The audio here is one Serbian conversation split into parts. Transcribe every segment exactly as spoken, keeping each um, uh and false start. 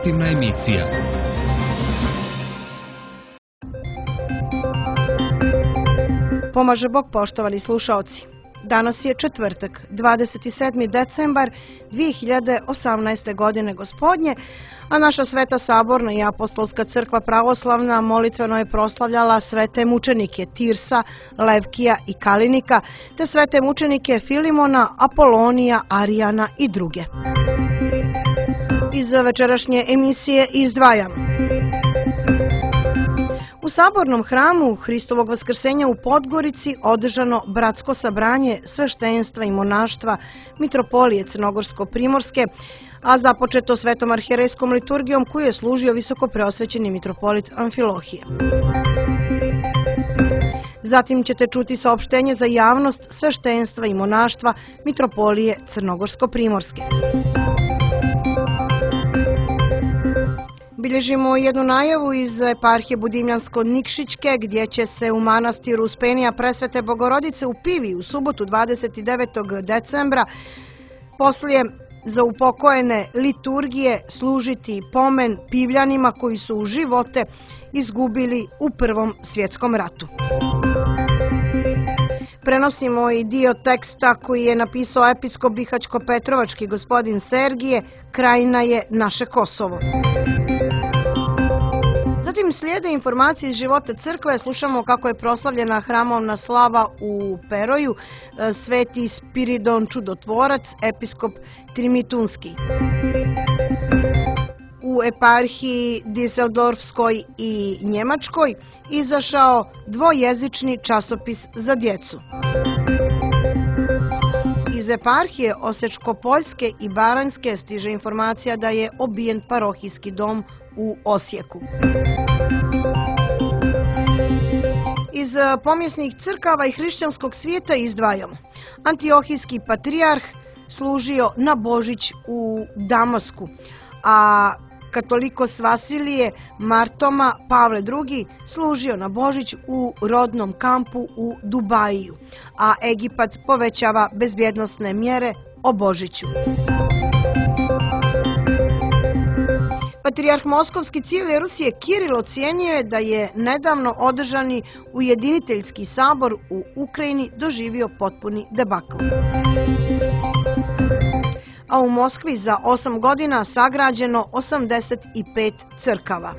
informativna emisija. Pomaže Bog, poštovani slušaoci. Danas je četvrtak, dvadeset sedmi decembar dve hiljade osamnaeste. godine gospodnje, a naša Sveta Saborna i Apostolska crkva pravoslavna molitveno je proslavljala svete mučenike Tirsa, Levkija i Kalinika, te svete mučenike Filimona, Apolonija, Arijana i druge. Iz večerašnje emisije izdvajam: u Sabornom hramu Hristovog vaskrsenja u Podgorici održano bratsko sabranje sveštenstva i monaštva Mitropolije Crnogorsko-Primorske, a započeto svetom arhijerejskom liturgijom koju je služio visokopreosvećeni mitropolit Amfilohije. Zatim ćete čuti saopštenje za javnost sveštenstva i monaštva Mitropolije Crnogorsko-Primorske. Bilježimo jednu najavu iz eparhije Budimljansko-Nikšićke, gdje će se u manastiru Uspenija Presvete Bogorodice u Pivi u subotu dvadeset devetog decembra poslije za upokojene liturgije služiti pomen Pivljanima koji su živote izgubili u Prvom svjetskom ratu. Prenosimo i dio teksta koji je napisao episkop Bihaćko-Petrovački gospodin Sergije, Krajina je naše Kosovo. Zatim slijede informacije iz života crkve, slušamo kako je proslavljena hramovna slava u Peroju, sveti Spiridon Čudotvorac, episkop Trimitunski. U eparhiji Diseldorfskoj i Njemačkoj izašao dvojezični časopis za djecu. Iz eparhije Osječko-Poljske i Baranjske stiže informacija da je obijen parohijski dom u Osijeku. Iz pomjesnih crkava i hrišćanskog svijeta izdvajamo: Antiohijski patrijarh služio na Božić u Damasku, a katolikos Vasilije Martoma Pavle drugi služio na Božić u rodnom kampu u Dubajiju, a Egipat povećava bezbjednosne mjere o Božiću. Patrijarh Moskovski cijele Rusije Kiril ocijenio je da je nedavno održani ujediniteljski sabor u Ukrajini doživio potpuni debakl. A u Moskvi za osam godina sagrađeno osamdeset pet crkava.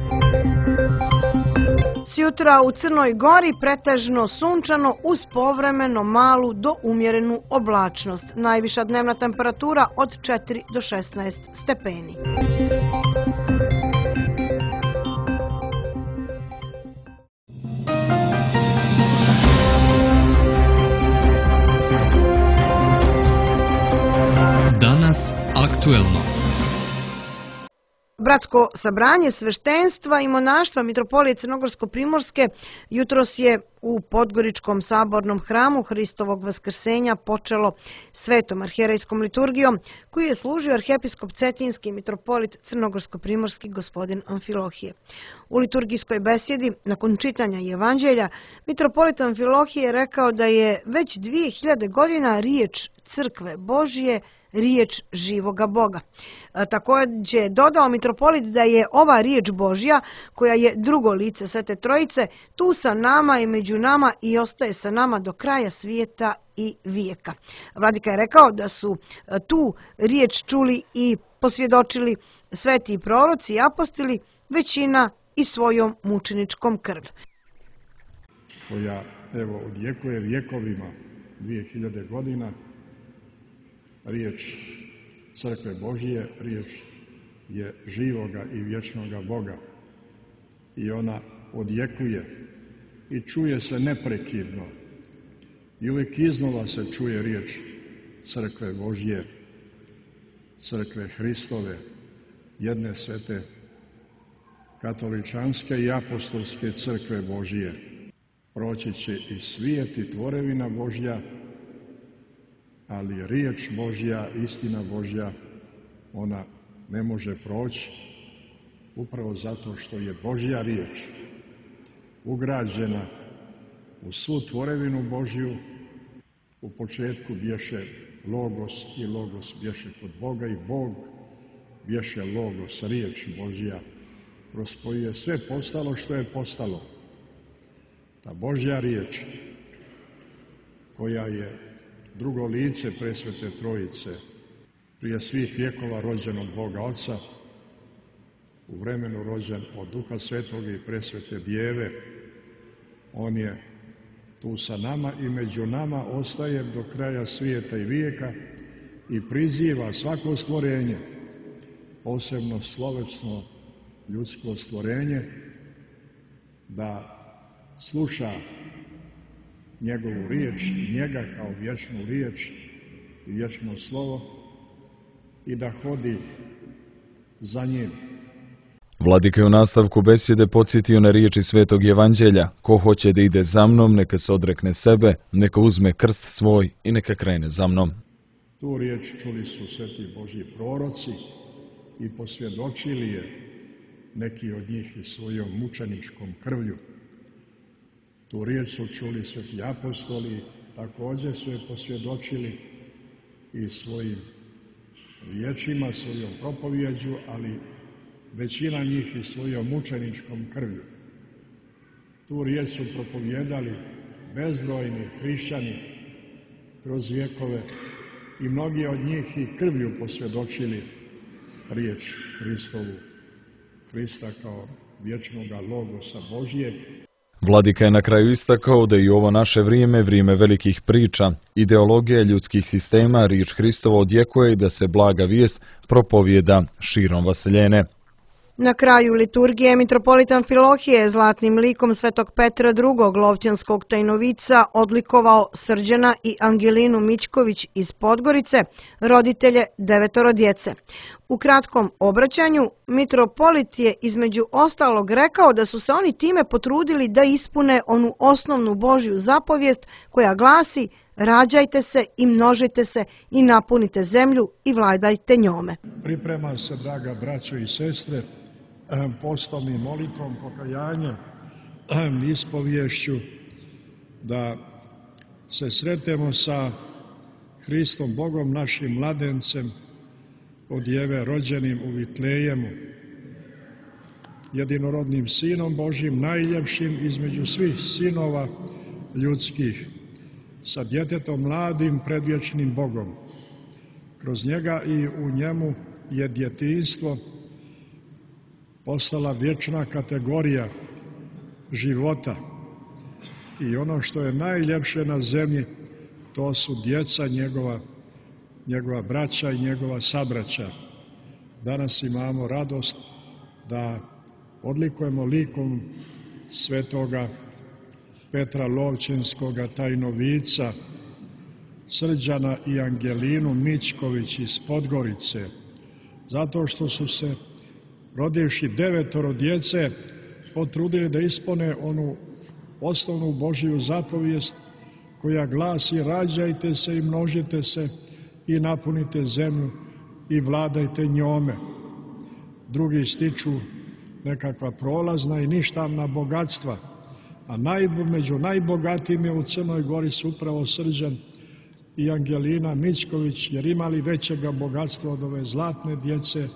Sjutra u Crnoj Gori pretežno sunčano uz povremeno malu do umjerenu oblačnost. Najviša dnevna temperatura od četiri do šesnaest stepeni. Danas aktuelno. Bratsko sabranje sveštenstva i monaštva Mitropolije Crnogorsko-Primorske jutros je u Podgoričkom sabornom hramu Hristovog vaskrsenja počelo svetom arhijerejskom liturgijom koju je služio arhijepiskop Cetinski mitropolit Crnogorsko-Primorski gospodin Amfilohije. U liturgijskoj besjedi, nakon čitanja Evanđelja, mitropolit Amfilohije je rekao da je već dvije hiljade godina riječ crkve Božije riječ živoga Boga. Također je dodao mitropolit da je ova riječ Božja, koja je drugo lice Svete Trojice, tu sa nama i među nama i ostaje sa nama do kraja svijeta i vijeka. Vladika je rekao da su tu riječ čuli i posvjedočili sveti proroci i apostoli, većina i svojom mučeničkom krv. Koja, evo, odjekuje vjekovima, dvije hiljade godina, riječ crkve Božije, riječ je živoga i vječnoga Boga i ona odjekuje i čuje se neprekidno i uvijek iznova se čuje riječ crkve Božije, crkve Hristove, jedne svete katoličanske i apostolske crkve Božije. Proći će i svijet i tvorevina Božja, ali riječ Božja, istina Božja, ona ne može proći upravo zato što je Božja riječ ugrađena u svu tvorevinu Božju. U početku bješe Logos i Logos bješe kod Boga i Bog bješe logos, riječ Božja, kroz koju je sve postalo što je postalo. Ta Božja riječ, koja je drugo lice presvete Trojice, prije svih vjekova rođen od Boga Oca, u vremenu rođen od Duha Svetoga i presvete Djeve, on je tu sa nama i među nama ostaje do kraja svijeta i vijeka i priziva svako stvorenje, posebno slovečno ljudsko stvorenje, da sluša njegovu riječ, njega kao vječnu riječ i vječno slovo i da hodi za njim. Vladika je u nastavku besjede podsjetio na riječi Svetog Evanđelja: ko hoće da ide za mnom, neka se odrekne sebe, neka uzme krst svoj i neka krene za mnom. Tu riječ čuli su sveti Božji proroci i posvjedočili je neki od njih i svojom mučeničkom krvlju. Tu riječ su čuli sveti apostoli, također su je posvjedočili i svojim riječima, svojom propovjeđu, ali većina njih i svojom mučeničkom krvlju. Tu riječ su propovjedali bezbrojni hrišćani kroz vjekove i mnogi od njih i krvlju posvjedočili riječ Hristovu, Hrista kao vječnoga logosa Božijeg. Vladika je na kraju istakao da i ovo naše vrijeme, vrijeme velikih priča, ideologije ljudskih sistema, riječ Hristova odjekuje i da se blaga vijest propovijeda širom vaseljene. Na kraju liturgije mitropolit Amfilohije je zlatnim likom svetog Petra drugog Lovćanskog tajnovica odlikovao Srđana i Angelinu Mićković iz Podgorice, roditelje devetoro djece. U kratkom obraćanju mitropolit je između ostalog rekao da su se oni time potrudili da ispune onu osnovnu Božju zapovijest koja glasi: rađajte se i množite se i napunite zemlju i vladajte njome. Priprema se, draga braćo i sestre, postom i molitvom, pokajanjem, ispovješću, da se sretemo sa Hristom Bogom, našim mladencem, od Djeve rođenim u Vitlejemu, jedinorodnim Sinom Božjim, najljepšim između svih sinova ljudskih, sa djetetom mladim pred vječnim Bogom. Kroz njega i u njemu je djetinjstvo postala vječna kategorija života. I ono što je najljepše na zemlji, to su djeca njegova, njegova braća i njegova sabraća. Danas imamo radost da odlikujemo likom svetoga Petra Lovćenskoga tajnovica, Srđana i Angelinu Mićković iz Podgorice, zato što su se, rodivši devetoro djece, potrudili da ispune onu osnovnu Božju zapovijest koja glasi: rađajte se i množite se i napunite zemlju i vladajte njome. Drugi stiču nekakva prolazna i ništavna bogatstva, a naj, među najbogatijim je u Crnoj Gori su upravo Srđan i Angelina Mićković, jer imali većega bogatstva od ove zlatne djece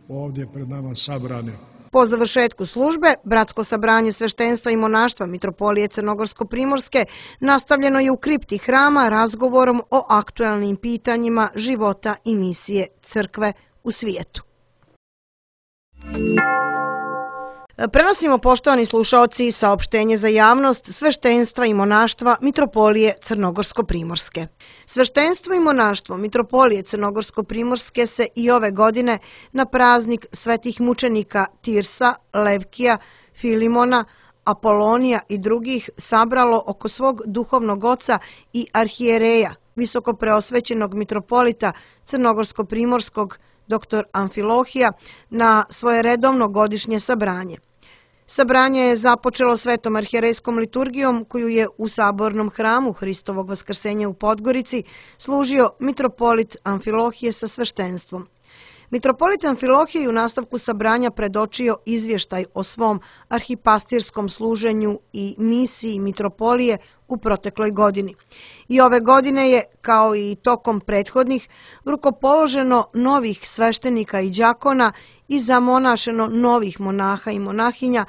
ovdje pred nama sabrane. Po završetku službe, bratsko sabranje sveštenstva i monaštva mitropolije Crnogorsko-primorske nastavljeno je u kripti hrama razgovorom o aktuelnim pitanjima života i misije crkve u svijetu. Prenosimo, poštovani slušaoci, saopštenje za javnost sveštenstva i monaštva mitropolije Crnogorsko-primorske. Sveštenstvo i monaštvo mitropolije Crnogorsko-primorske se i ove godine na praznik svetih mučenika Tirsa, Levkija, Filimona, Apolonija i drugih sabralo oko svog duhovnog oca i arhijereja, visoko preosvećenog mitropolita Crnogorsko-primorskog doktor Amfilohija, na svoje redovno godišnje sabranje. Sabranje je započelo svetom arhijerejskom liturgijom koju je u sabornom hramu Hristovog vaskrsenja u Podgorici služio mitropolit Amfilohije sa sveštenstvom. Mitropolit Amfilohije u nastavku sabranja predočio izvještaj o svom arhipastirskom služenju i misiji mitropolije u protekloj godini. I ove godine je, kao i tokom prethodnih, rukopoloženo novih sveštenika i đakona i zamonašeno novih monaha i monahinja.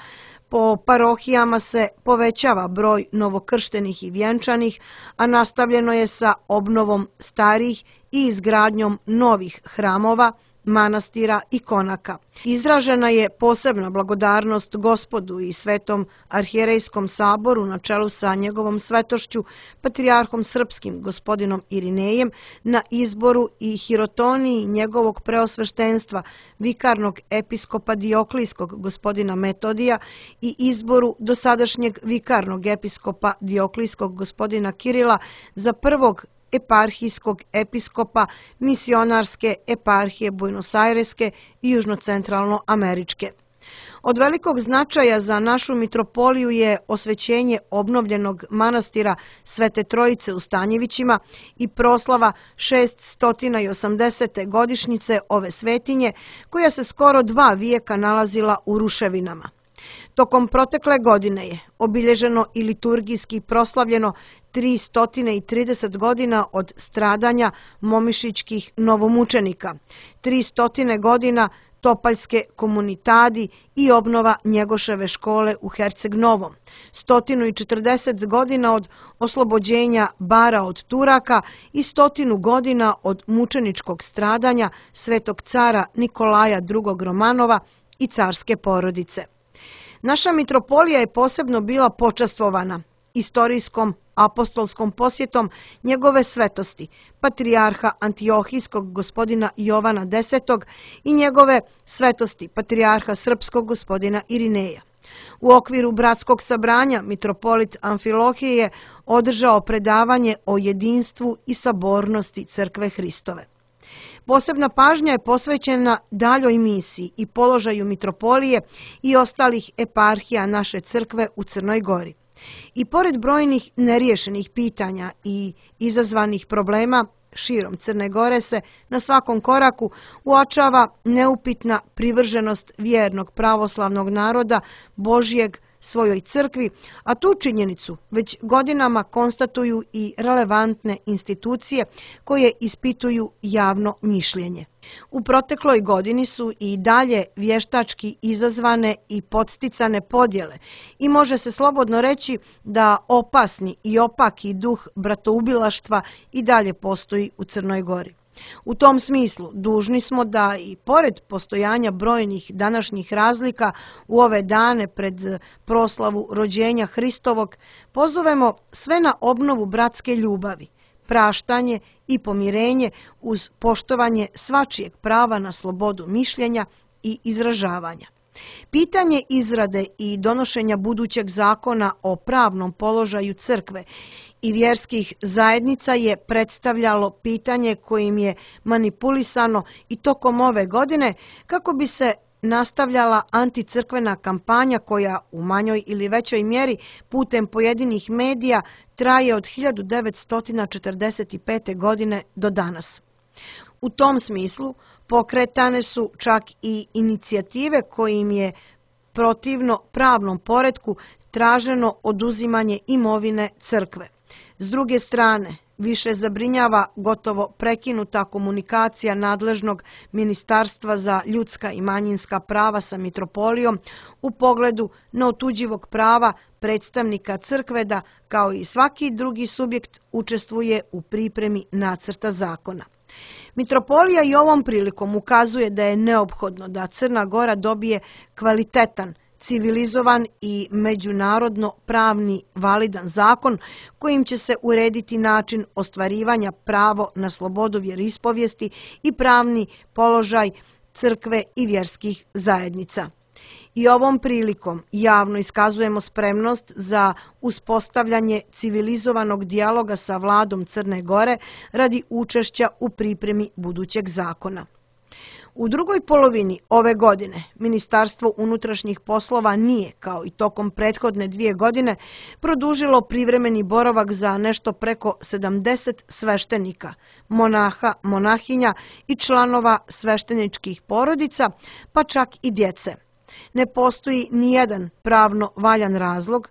Po parohijama se povećava broj novokrštenih i vjenčanih, a nastavljeno je sa obnovom starih i izgradnjom novih hramova, manastira i konaka. Izražena je posebna blagodarnost Gospodu i Svetom arhijerejskom saboru na čelu sa njegovom svetošću, patrijarhom srpskim gospodinom Irinejem, na izboru i hirotoniji njegovog preosveštenstva, vikarnog episkopa Dioklijskog gospodina Metodija i izboru dosadašnjeg vikarnog episkopa Dioklijskog gospodina Kirila za prvog eparhijskog episkopa misionarske eparhije Buenos Aireske i južnocentralnoameričke. Od velikog značaja za našu mitropoliju je osvećenje obnovljenog manastira Svete Trojice u Stanjevićima i proslava šeststo osamdesete godišnjice ove svetinje, koja se skoro dva vijeka nalazila u ruševinama. Tokom protekle godine je obilježeno i liturgijski proslavljeno tristo trideset godina od stradanja momišićkih novomučenika, tristo godina Topaljske komunitadi i obnova Njegoševe škole u Herceg Novom, sto četrdeset godina od oslobođenja Bara od Turaka i stotinu godina od mučeničkog stradanja svetog cara Nikolaja drugog Romanova i carske porodice. Naša mitropolija je posebno bila počastvovana istorijskom apostolskom posjetom njegove svetosti, patrijarha Antiohijskog gospodina Jovana desetog i njegove svetosti, patrijarha srpskog gospodina Irineja. U okviru bratskog sabranja mitropolit Amfilohije je održao predavanje o jedinstvu i sabornosti Crkve Hristove. Posebna pažnja je posvećena daljoj misiji i položaju mitropolije i ostalih eparhija naše crkve u Crnoj Gori. I pored brojnih neriješenih pitanja i izazvanih problema, širom Crne Gore se na svakom koraku uočava neupitna privrženost vjernog pravoslavnog naroda Božjeg svojoj crkvi, a tu činjenicu već godinama konstatuju i relevantne institucije koje ispituju javno mišljenje. U protekloj godini su i dalje vještački izazvane i podsticane podjele i može se slobodno reći da opasni i opaki duh bratoubilaštva i dalje postoji u Crnoj Gori. U tom smislu dužni smo da i pored postojanja brojnih današnjih razlika u ove dane pred proslavu rođenja Hristovog pozovemo sve na obnovu bratske ljubavi, praštanje i pomirenje uz poštovanje svačijeg prava na slobodu mišljenja i izražavanja. Pitanje izrade i donošenja budućeg zakona o pravnom položaju crkve i vjerskih zajednica je predstavljalo pitanje kojim je manipulisano i tokom ove godine kako bi se nastavljala anticrkvena kampanja koja u manjoj ili većoj mjeri putem pojedinih medija traje od hiljadu devetsto četrdeset pete. godine do danas. U tom smislu pokretane su čak i inicijative kojim je protivno pravnom poretku traženo oduzimanje imovine crkve. S druge strane, više zabrinjava gotovo prekinuta komunikacija nadležnog Ministarstva za ljudska i manjinska prava sa mitropolijom u pogledu neotuđivog prava predstavnika crkve da, kao i svaki drugi subjekt, učestvuje u pripremi nacrta zakona. Mitropolija i ovom prilikom ukazuje da je neophodno da Crna Gora dobije kvalitetan, civilizovan i međunarodno pravni validan zakon kojim će se urediti način ostvarivanja pravo na slobodu vjeroispovijesti i pravni položaj crkve i vjerskih zajednica. I ovom prilikom javno iskazujemo spremnost za uspostavljanje civilizovanog dijaloga sa vladom Crne Gore radi učešća u pripremi budućeg zakona. U drugoj polovini ove godine Ministarstvo unutrašnjih poslova nije, kao i tokom prethodne dvije godine, produžilo privremeni boravak za nešto preko sedamdeset sveštenika, monaha, monahinja i članova svešteničkih porodica, pa čak i djece. Ne postoji nijedan pravno valjan razlog,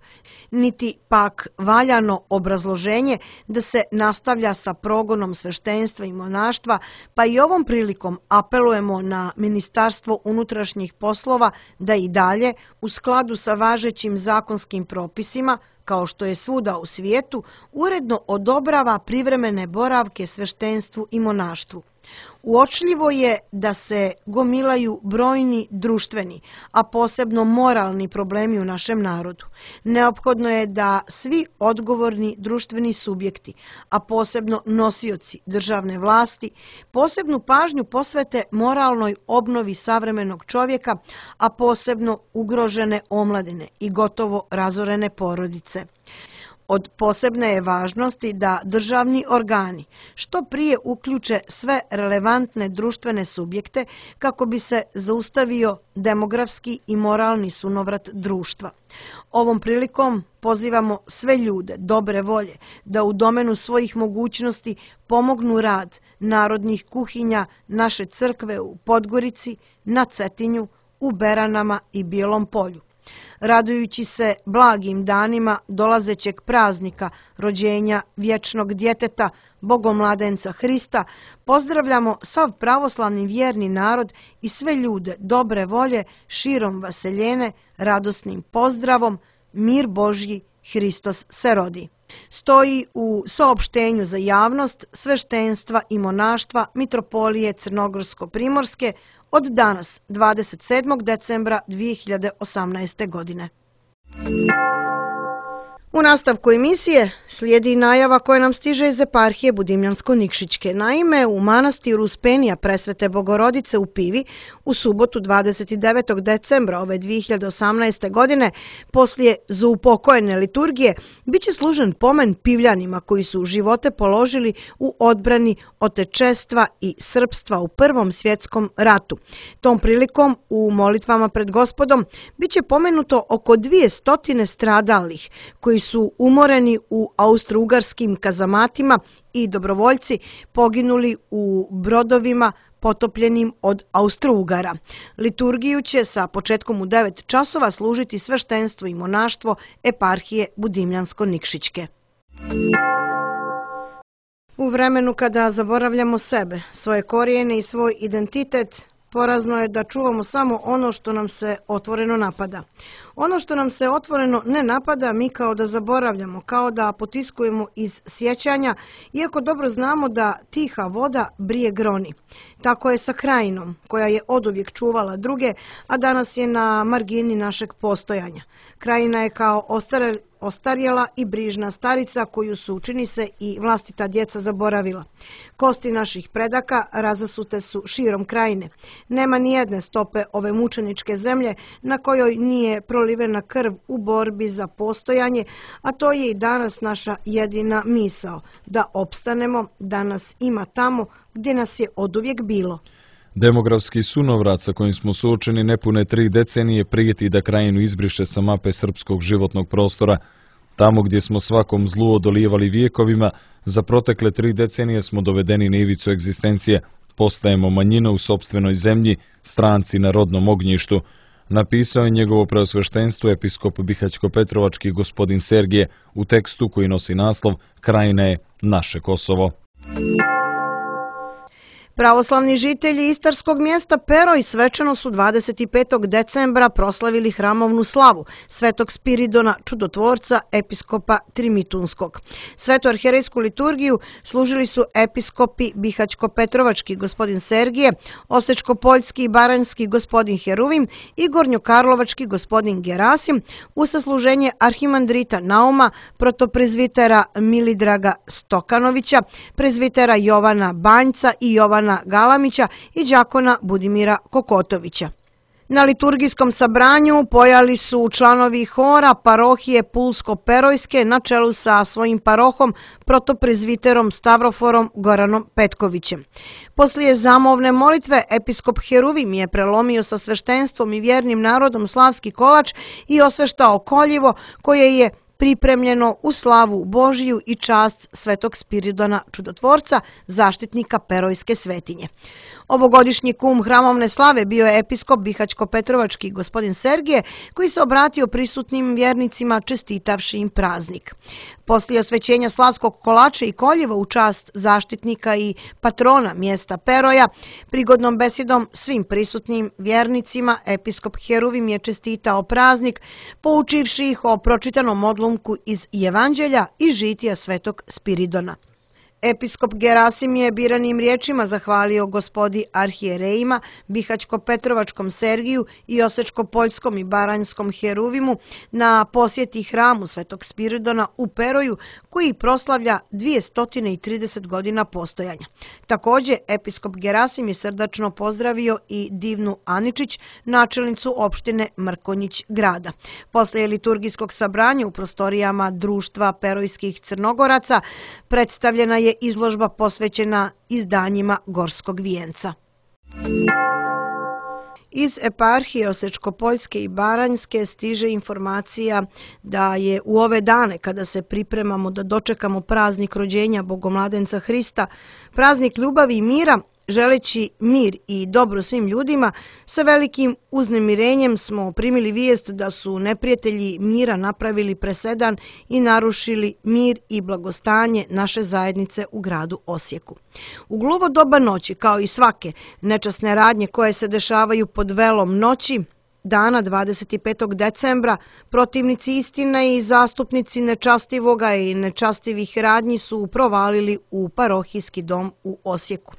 niti pak valjano obrazloženje da se nastavlja sa progonom sveštenstva i monaštva, pa i ovom prilikom apelujemo na Ministarstvo unutrašnjih poslova da i dalje, u skladu sa važećim zakonskim propisima, kao što je svuda u svijetu, uredno odobrava privremene boravke sveštenstvu i monaštvu. Uočljivo je da se gomilaju brojni društveni, a posebno moralni problemi u našem narodu. Neophodno je da svi odgovorni društveni subjekti, a posebno nosioci državne vlasti, posebnu pažnju posvete moralnoj obnovi savremenog čovjeka, a posebno ugrožene omladine i gotovo razorene porodice. Od posebne je važnosti da državni organi što prije uključe sve relevantne društvene subjekte kako bi se zaustavio demografski i moralni sunovrat društva. Ovom prilikom pozivamo sve ljude dobre volje da u domenu svojih mogućnosti pomognu rad narodnih kuhinja naše crkve u Podgorici, na Cetinju, u Beranama i Bijelom Polju. Radujući se blagim danima dolazećeg praznika rođenja vječnog djeteta, Bogomladenca Hrista, pozdravljamo sav pravoslavni vjerni narod i sve ljude dobre volje širom vaseljene radosnim pozdravom Mir Božji, Hristos se rodi. Stoji u saopštenju za javnost sveštenstva i monaštva Mitropolije Crnogorsko-Primorske od danas, dvadeset sedmog decembra dvije hiljade osamnaeste. godine. U nastavku emisije slijedi najava koja nam stiže iz eparhije Budimljansko-Nikšićke. Naime, u manastiru Uspenija Presvete Bogorodice u Pivi u subotu dvadeset devetog decembra ove dvije hiljade osamnaeste. godine poslije zaupokojene liturgije biće služen pomen Pivljanima koji su živote položili u odbrani otečestva i srpstva u Prvom svjetskom ratu. Tom prilikom u molitvama pred Gospodom biće pomenuto oko dvije stotine stradalih koji su umoreni u austro-ugarskim kazamatima i dobrovoljci poginuli u brodovima potopljenim od Austro-Ugara. Liturgiju će sa početkom u devet časova služiti sveštenstvo i monaštvo eparhije Budimljansko-Nikšićke. U vremenu kada zaboravljamo sebe, svoje korijene i svoj identitet, porazno je da čuvamo samo ono što nam se otvoreno napada. Ono što nam se otvoreno ne napada, mi kao da zaboravljamo, kao da potiskujemo iz sjećanja, iako dobro znamo da tiha voda brije groni. Tako je sa Krajinom, koja je oduvijek čuvala druge, a danas je na margini našeg postojanja. Krajina je kao ostare, ostarjela i brižna starica koju su, čini se, i vlastita djeca zaboravila. Kosti naših predaka razasute su širom Krajine. Nema ni jedne stope ove mučeničke zemlje na kojoj nije prolivena krv u borbi za postojanje, a to je i danas naša jedina misao, da opstanemo, da nas ima tamo gdje nas je oduvijek bilo. Demografski sunovrat sa kojim smo suočeni nepune tri decenije prijeti da Krajinu izbriše sa mape srpskog životnog prostora. Tamo gdje smo svakom zlu odolijevali vijekovima, za protekle tri decenije smo dovedeni na ivicu egzistencije, postajemo manjina u sopstvenoj zemlji, stranci na rodnom ognjištu. Napisao je njegovo preosveštenstvo episkop Bihać-Petrovački gospodin Sergije u tekstu koji nosi naslov Krajina je naše Kosovo. Pravoslavni žitelji istarskog mjesta Peroj svečano su dvadeset petog decembra proslavili hramovnu slavu Svetog Spiridona Čudotvorca, episkopa Trimitunskog. Svetu arhijerejsku liturgiju služili su episkopi Bihać-Petrovački gospodin Sergije, Osečko-Poljski i Baranjski gospodin Heruvim i Gornjokarlovački gospodin Gerasim, uz sasluženje arhimandrita Nauma, protoprezvitera Milidraga Stokanovića, prezvitera Jovana Banjca i Jovana Galamića i đakona Budimira Kokotovića. Na liturgijskom sabranju pojali su članovi hora parohije Pulsko-Perojske na čelu sa svojim parohom protoprezviterom Stavroforom Goranom Petkovićem. Poslije zamovne molitve episkop Heruvim je prelomio sa sveštenstvom i vjernim narodom slavski kolač i osveštao koljivo koje je pripremljeno u slavu Božiju i čast Svetog Spiridona Čudotvorca, zaštitnika Perojske svetinje. Ovogodišnji kum hramovne slave bio je episkop Bihaćko-Petrovački gospodin Sergije, koji se obratio prisutnim vjernicima čestitavši im praznik. Poslije osvećenja slavskog kolača i koljeva u čast zaštitnika i patrona mjesta Peroja, prigodnom besedom svim prisutnim vjernicima, episkop Heruvim je čestitao praznik, poučivši ih o pročitanom odlomku iz Evanđelja i žitija Svetog Spiridona. Episkop Gerasim je biranim riječima zahvalio gospodi arhijerejima, Bihaćko-Petrovačkom Sergiju i Osečko-Poljskom i Baranjskom Heruvimu na posjeti hramu Svetog Spiridona u Peroju, koji proslavlja dvjesto trideset godina postojanja. Također, episkop Gerasim je srdačno pozdravio i Divnu Aničić, načelnicu opštine Mrkonjić grada. Posle liturgijskog sabranja u prostorijama Društva perojskih Crnogoraca predstavljena je izložba posvećena izdanjima Gorskog vijenca. Iz eparhije Osečko-Poljske i Baranjske stiže informacija da je u ove dane, kada se pripremamo da dočekamo praznik rođenja Bogomladenca Hrista, praznik ljubavi i mira, želeći mir i dobro svim ljudima, sa velikim uznemirenjem smo primili vijest da su neprijatelji mira napravili presedan i narušili mir i blagostanje naše zajednice u gradu Osijeku. U gluvo doba noći, kao i svake nečasne radnje koje se dešavaju pod velom noći, dana dvadeset petog decembra, protivnici istine i zastupnici nečastivoga i nečastivih radnji su provalili u parohijski dom u Osijeku.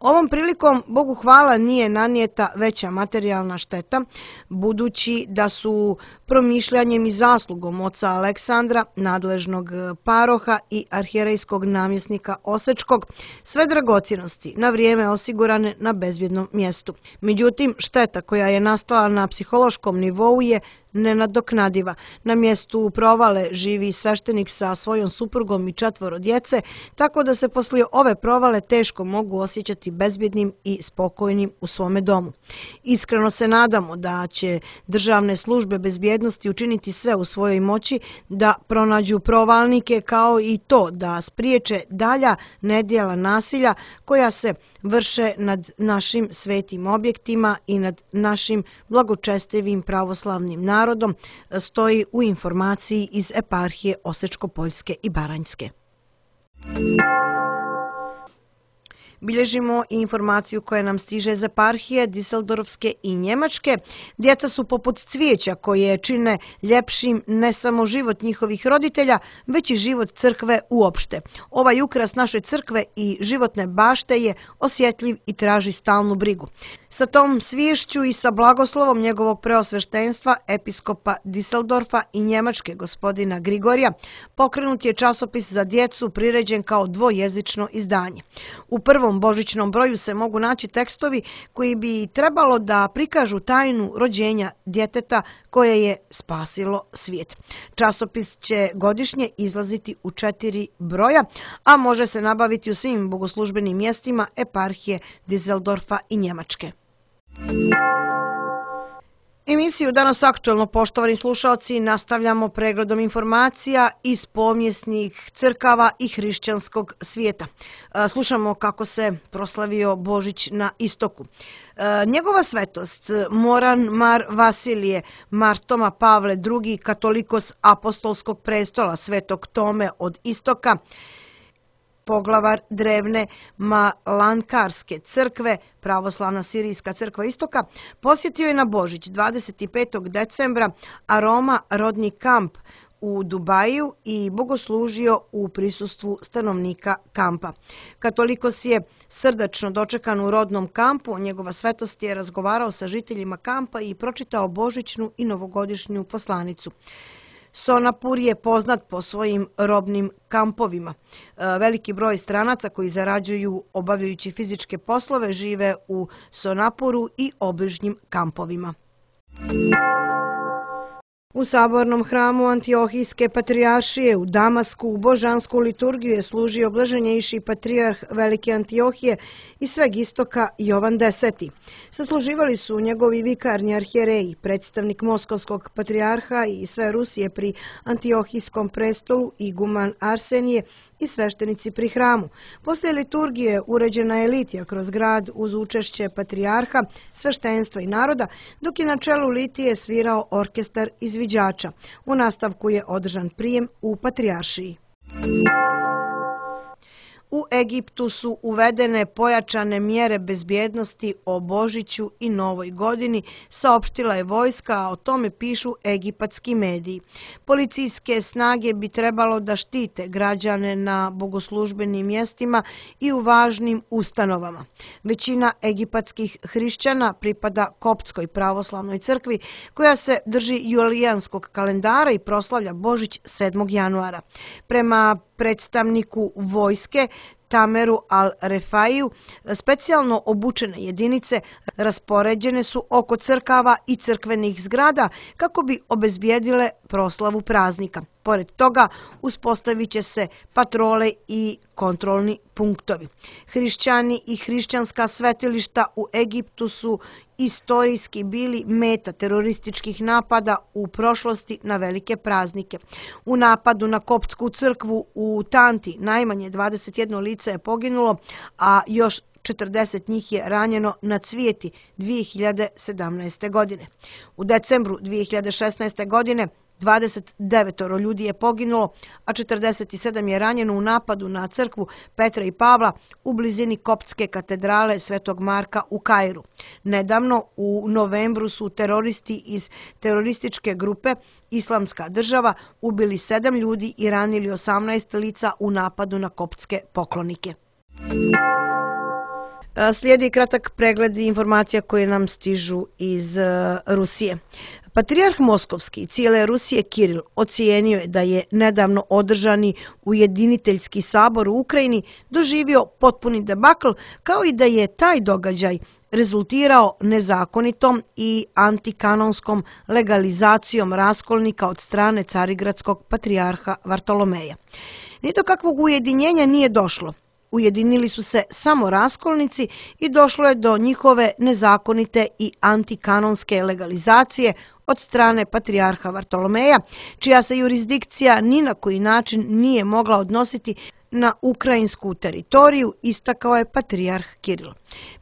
Ovom prilikom, Bogu hvala, nije nanijeta veća materijalna šteta, budući da su promišljanjem i zaslugom oca Aleksandra, nadležnog paroha i arhijerejskog namjesnika Osečkog, sve dragocjenosti na vrijeme osigurane na bezbjednom mjestu. Međutim, šteta koja je nastala na psihološkom nivou je nenadoknadiva. Na mjestu provale živi sveštenik sa svojom suprugom i četvoro djece, tako da se poslije ove provale teško mogu osjećati bezbjednim i spokojnim u svome domu. Iskreno se nadamo da će državne službe bezbjednosti učiniti sve u svojoj moći da pronađu provalnike, kao i to da spriječe dalja nedjela nasilja koja se vrše nad našim svetim objektima i nad našim blagočestivim pravoslavnim narodom, stoji u informaciji iz eparhije Osečko-Poljske i Baranjske. Bilježimo i informaciju koja nam stiže iz eparhije Diseldorfske i Njemačke. Djeca su poput cvijeća koje čine ljepšim ne samo život njihovih roditelja, već i život crkve uopšte. Ovaj ukras naše crkve i životne bašte je osjetljiv i traži stalnu brigu. Sa tom sviješću i sa blagoslovom njegovog preosveštenstva, episkopa Diseldorfa i Njemačke gospodina Grigorija, pokrenut je časopis za djecu priređen kao dvojezično izdanje. U prvom božićnom broju se mogu naći tekstovi koji bi trebalo da prikažu tajnu rođenja djeteta koje je spasilo svijet. Časopis će godišnje izlaziti u četiri broja, a može se nabaviti u svim bogoslužbenim mjestima eparhije Diseldorfa i Njemačke. Emisiju Danas aktuelno, poštovani slušalci, nastavljamo pregledom informacija iz pomjesnih crkava i hrišćanskog svijeta. Slušamo kako se proslavio Božić na istoku. Njegova svetost Moran Mar Vasilije, Mar Toma Pavle drugi, katolikos apostolskog prestola Svetog Tome od istoka, poglavar drevne Malankarske crkve, pravoslavna sirijska crkva istoka, posjetio je na Božić dvadeset petog decembra Aroma rodni kamp u Dubaju i bogoslužio u prisustvu stanovnika kampa. Katolikos je srdačno dočekan u rodnom kampu, njegova svetost je razgovarao sa žiteljima kampa i pročitao božićnu i novogodišnju poslanicu. Sonapur je poznat po svojim robnim kampovima. Veliki broj stranaca koji zarađuju obavljajući fizičke poslove žive u Sonapuru i obližnjim kampovima. U sabornom hramu Antiohijske patrijaršije u Damasku u božansku liturgiju je služio blaženjejši patrijarh Velike Antiohije i sveg istoka Jovan Deseti. Sasluživali su njegovi vikarni arhijereji, predstavnik Moskovskog patrijarha i sve Rusije pri Antiohijskom prestolu iguman Arsenije i sveštenici pri hramu. Poslije liturgije uređena je litija kroz grad uz učešće patrijarha, sveštenstva i naroda, dok je na čelu litije svirao orkestar izviđača. U nastavku je održan prijem u patrijaršiji. U Egiptu su uvedene pojačane mjere bezbjednosti o Božiću i Novoj godini, saopštila je vojska, a o tome pišu egipatski mediji. Policijske snage bi trebalo da štite građane na bogoslužbenim mjestima i u važnim ustanovama. Većina egipatskih hrišćana pripada Koptskoj pravoslavnoj crkvi, koja se drži julijanskog kalendara i proslavlja Božić sedmog januara. Prema predstavniku vojske Tameru al-Refaiju, specijalno obučene jedinice raspoređene su oko crkava i crkvenih zgrada kako bi obezbijedile proslavu praznika. Pored toga, uspostavit će se patrole i kontrolni punktovi. Hrišćani i hrišćanska svetilišta u Egiptu su istorijski bili meta terorističkih napada u prošlosti na velike praznike. U napadu na Koptsku crkvu u Tanti najmanje dvadeset jedno lice je poginulo, a još četrdeset njih je ranjeno na Cvijeti dvije hiljade sedamnaeste. godine. U decembru dvije hiljade šesnaeste. godine dvadeset devet ljudi je poginulo, a četrdeset sedam je ranjeno u napadu na crkvu Petra i Pavla u blizini Koptske katedrale Svetog Marka u Kairu. Nedavno, u novembru, su teroristi iz terorističke grupe Islamska država ubili sedam ljudi i ranili osamnaest lica u napadu na koptske poklonike. Slijedi kratak pregled informacija koje nam stižu iz Rusije. Patrijarh Moskovski cijele Rusije Kiril ocijenio je da je nedavno održani ujediniteljski sabor u Ukrajini doživio potpuni debakl, kao i da je taj događaj rezultirao nezakonitom i antikanonskom legalizacijom raskolnika od strane carigradskog patrijarha Vartolomeja. Ni do kakvog ujedinjenja nije došlo. Ujedinili su se samo raskolnici i došlo je do njihove nezakonite i antikanonske legalizacije od strane patrijarha Vartolomeja, čija se jurisdikcija ni na koji način nije mogla odnositi na ukrajinsku teritoriju, istakao je patrijarh Kiril.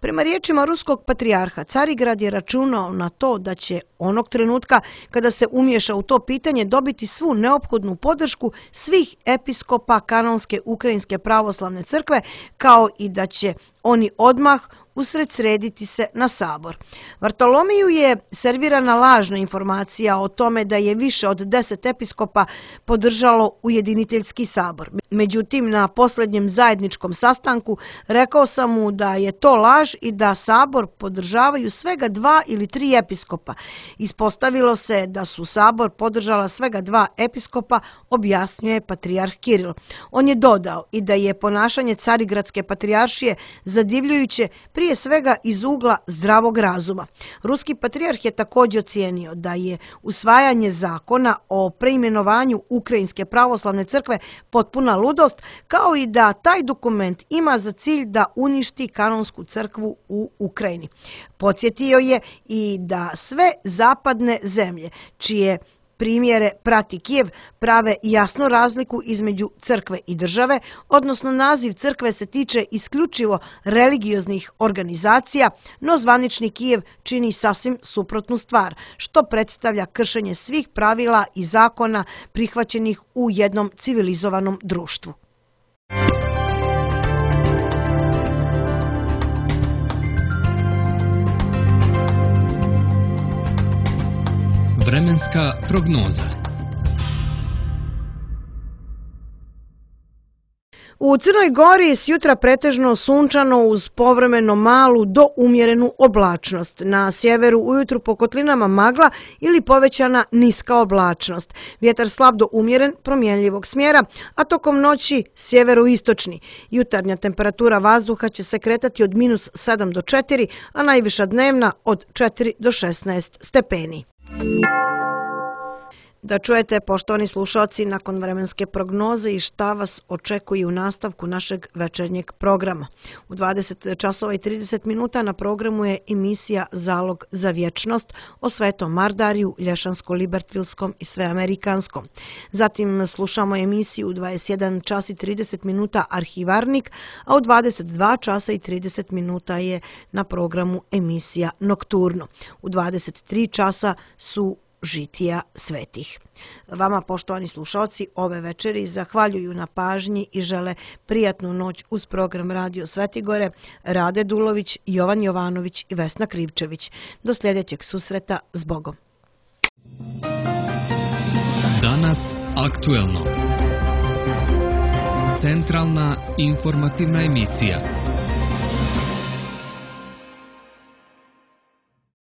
Prema riječima ruskog patrijarha, Carigrad je računao na to da će onog trenutka kada se umješa u to pitanje dobiti svu neophodnu podršku svih episkopa kanonske ukrajinske pravoslavne crkve, kao i da će oni odmah usredsrediti se na sabor. Vartolomiju je servirana lažna informacija o tome da je više od deset episkopa podržalo ujediniteljski sabor. Međutim, na posljednjem zajedničkom sastanku rekao sam mu da je to laž i da sabor podržavaju svega dva ili tri episkopa. Ispostavilo se da su sabor podržala svega dva episkopa, objasnjuje patrijarh Kiril. On je dodao i da je ponašanje Carigradske patrijaršije zadivljujuće prije svega iz ugla zdravog razuma. Ruski patrijarh je također ocijenio da je usvajanje zakona o preimenovanju Ukrajinske pravoslavne crkve potpuna ludost, kao i da taj dokument ima za cilj da uništi kanonsku crkvu u Ukrajini. Podsjetio je i da sve zapadne zemlje, čije primjere prati Kijev, prave jasnu razliku između crkve i države, odnosno naziv crkve se tiče isključivo religioznih organizacija, no zvanični Kijev čini sasvim suprotnu stvar, što predstavlja kršenje svih pravila i zakona prihvaćenih u jednom civilizovanom društvu. Vremenska prognoza. U Crnoj Gori s jutra pretežno sunčano uz povremeno malu do umjerenu oblačnost. Na sjeveru ujutru po kotlinama magla ili povećana niska oblačnost. Vjetar slab do umjeren promjenljivog smjera, a tokom noći sjeveroistočni. Jutarnja temperatura vazduha će se kretati od minus sedam do četiri, a najviša dnevna od četiri do šesnaest stepeni. Da čujete, poštovani slušalci, nakon vremenske prognoze i šta vas očekuje u nastavku našeg večernjeg programa. U dvadeset časova i trideset minuta na programu je emisija Zalog za vječnost o Svetom Mardariju, Lješansko-Libertvilskom i Sveamerikanskom. Zatim slušamo emisiju u dvadeset jedan čas i trideset minuta Arhivarnik, a u dvadeset dva časa i trideset minuta je na programu emisija Nokturno. U dvadeset tri časa su Žitija svetih. Vama, poštovani slušalci, ove večeri zahvaljuju na pažnji i žele prijatnu noć uz program Radio Svetigore, Rade Dulović, Jovan Jovanović i Vesna Krivčević. Do sljedećeg susreta, s Bogom. Danas aktuelno. Centralna informativna emisija.